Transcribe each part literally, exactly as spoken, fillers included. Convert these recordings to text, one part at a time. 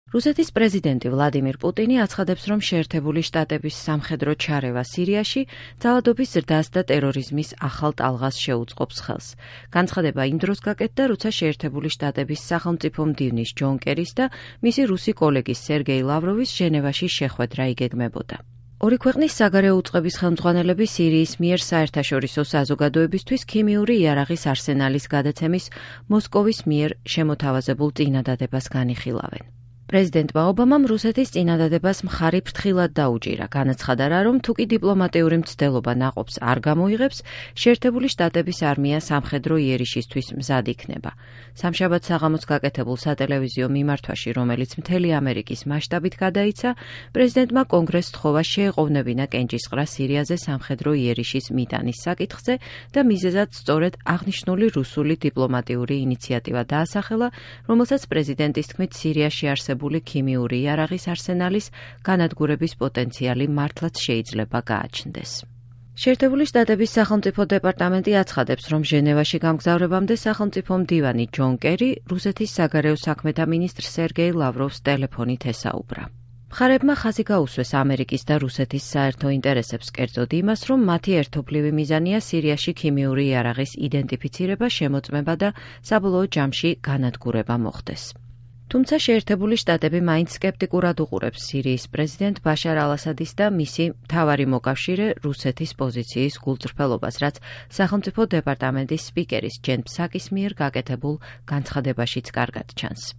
რუსეთის პრეზიდენტი ვლადიმირ პუტინი აცხადებს, რომ შეერთებული შტატების სამხედრო ჩარევა სირიაში ძალადობის ზრდას და ტერორიზმის ახალ ტალღას შეუწყობს ხელს. განცხადება იმ დროს გაკეთდა, როცა შეერთებული შტატების სახელმწიფო მდივნის ჯონ კერის და მისი რუსი კოლეგის სერგეი ლავროვის ჟენევაში შეხვედრა იგეგმებოდა. ორი ქვეყნის საგარეო უწყების ხელმძღვანელები სირიის მიერ საერთაშორისო საზოგადოებისთვის ქიმიური იარაღის არსენალის გადაცემის მოსკოვის მიერ შემოთავაზებულ წინადადებას განიხილავენ. პრეზიდენტმა ობამამ რუსეთის წინადადებას მხარი ფრთხილად დაუჭირა, განაცხადა რა, რომ თუკი დიპლომატიური მცდელობა ნაყოფს არ გამოიღებს, შეერთებული შტატების არმია სამხედრო იერიშისთვის მზად იქნება. სამშაბათ საღამოს გაკეთებულ სატელევიზიო მიმართვაში, რომელიც მთელი ამერიკის მასშტაბით გადაიცა, პრეზიდენტმა კონგრესს სთხოვა შეეყოვნებინა კენჭისყრა სირიაზე სამხედრო იერიშის მიტანის საკითხზე და მიზეზად სწორედ აღნიშნული რუსული დიპლომატიური ინიციატივა დაასახელა, რომელსაც პრეზიდენტის თქმით სირიაში არსებობს ქიმიური იარაღის არსენალის განადგურების პოტენციალი მართლაც შეიძლება გააჩნდეს. შეერთებული შტატების სახელმწიფო დეპარტამენტი აცხადებს, რომ ჟენევაში გამგზავრებამდე სახელმწიფო მდივანი ჯონ კერი რუსეთის საგარეო საქმეთა მინისტრ სერგეი ლავროვს ტელეფონით ესაუბრა. მხარეებმა ხაზი გაუსვეს ამერიკის და რუსეთის საერთო ინტერესებს, კერძოდ იმას, რომ მათი ერთობლივი მიზანია სირიაში ქიმიური იარაღის იდენტიფიცირება, შემოწმება და საბოლოო ჯამში განადგურება მოხდეს. თუმცა შეერთებული შტატები მაინც სკეპტიკურად უყურებს სირიის პრეზიდენტ ბაშარ ალ-ასადის და მისი მთავარი მოკავშირე რუსეთის პოზიციის გულწრფელობას, რაც სახელმწიფო დეპარტამენტის სპიკერის ჯენ ფსაკის მიერ გაკეთებულ განცხადებაშიც კარგად ჩანს.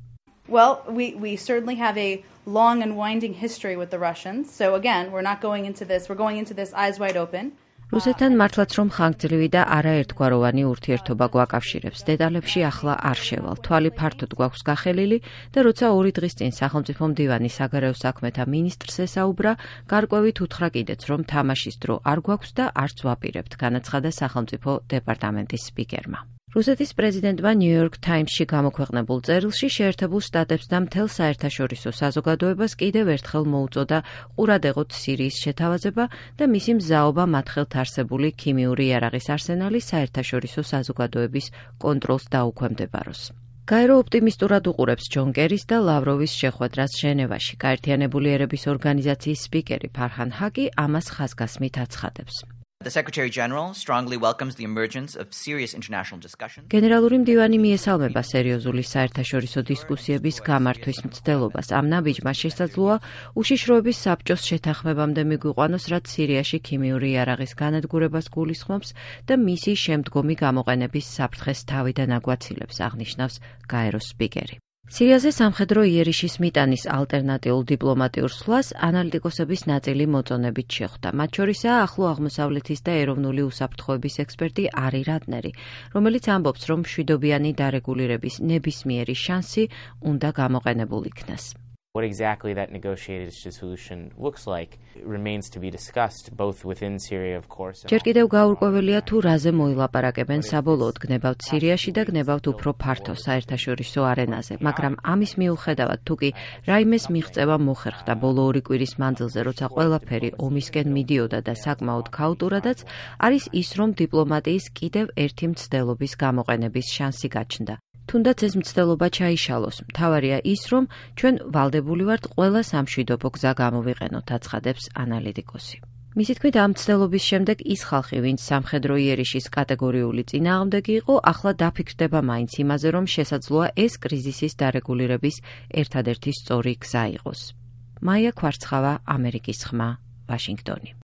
Well, we, we certainly have a long and winding history with the Russians. So again, we're not going into this, we're going into this eyes wide open. რუსეთთან მართლაც რომ ხანგრძლივი და არაერთგვაროვანი ურთიერთობა გვაკავშირებს, დეტალებში ახლა არ შევალ. თვალი ფართოდ გვაქვს გახელილი და როცა ორი დღის წინ სახელმწიფო მდივანი საგარეო საქმეთა მინისტრს ესაუბრა, გარკვევით უთხრა კიდეც, რომ თამაშის დრო არ გვაქვს და არც ვაპირებთ, განაცხადა სახელმწიფო დეპარტამენტის სპიკერმა. რუსეთის პრეზიდენტმა ნიუ-იორკ თაიმსში გამოქვეყნებულ წერილში შეერთებულ შტატებს და მთელ საერთაშორისო საზოგადოებას კიდევ ერთხელ მოუწოდა ყურადღებოთ სირიის შეთავაზება და მისი მზაობა მათ ხელთ არსებული ქიმიური იარაღის არსენალის საერთაშორისო საზოგადოების კონტროლს დაუქვემდებაროს. გაერო ოპტიმისტურად უყურებს ჯონ კერის და ლავროვის შეხვედრას ჟენევაში. გაერთიანებული ერების ორგანიზაციის სპიკერი ფარჰან ჰაკი ამას ხაზგასმით აცხადებს. The Secretary General strongly welcomes the emergence of serious international discussions. გენერალური მდივანი მიესალმება სერიოზული საერთაშორისო დისკუსიების გამართვის მცდელობას. ამ ნაბიჯმა შესაძლოა უშიშროების საბჭოს შეთანხმებამდე მიგვიყვანოს, რაც სირიაში ქიმიური იარაღის განადგურებას გულისხმობს და მისი შემდგომი გამოყენების საფრთხეს თავიდან აგვაცილებს, აღნიშნავს გაეროს სპიკერი. სირიაზე სამხედრო იერიშის მიტანის ალტერნატიულ დიპლომატიურ სვლას ანალიტიკოსების ნაწილი მოწონებით შეხვდა. მათ შორისაა ახლო აღმოსავლეთის და ეროვნული უსაფრთხოების ექსპერტი არი რატნერი, რომელიც ამბობს, რომ მშვიდობიანი დარეგულირების ნებისმიერი შანსი უნდა გამოყენებულ იქნას. What exactly that negotiated solution looks like remains to be discussed both within Syria of course. ჯერ კიდევ გაურკვეველია თუ რაზე მოილაპარაკებენ საბოლოოდ გნებავთ სირიაში და გნებავთ უფრო ფართო საერთაშორისო არენაზე, მაგრამ ამის მიუხედავად თუ კი რაიმეს მიღწევა მოხერხდა ბოლო ორი კვირის მანძილზე, როცა ყველაფერი ომისკენ მიდიოდა და საკმაოდ ქაოტურადაც, არის ის, რომ დიპლომატიის კიდევ ერთი მცდელობის გამოყენების შანსი გაჩნდა. თუნდაც ეს მცდელობა ჩაიშალოს. მთავარია ის, რომ ჩვენ ვალდებული ვართ ყველა სამშვიდობო გზა გამოვიყენოთ, აცხადებს ანალიტიკოსი. მისი თქმით, ამ მცდელობის შემდეგ ის ხალხი, ვინც სამხედრო იერიშის კატეგორიული წინააღმდეგი იყო, ახლა დაფიქრდება მაინც იმაზე, რომ შესაძლოა ეს კრიზისის დარეგულირების ერთადერთი სწორი გზა იყოს. მაია ქვარცხავა, ამერიკის ხმა, ვაშინგტონი.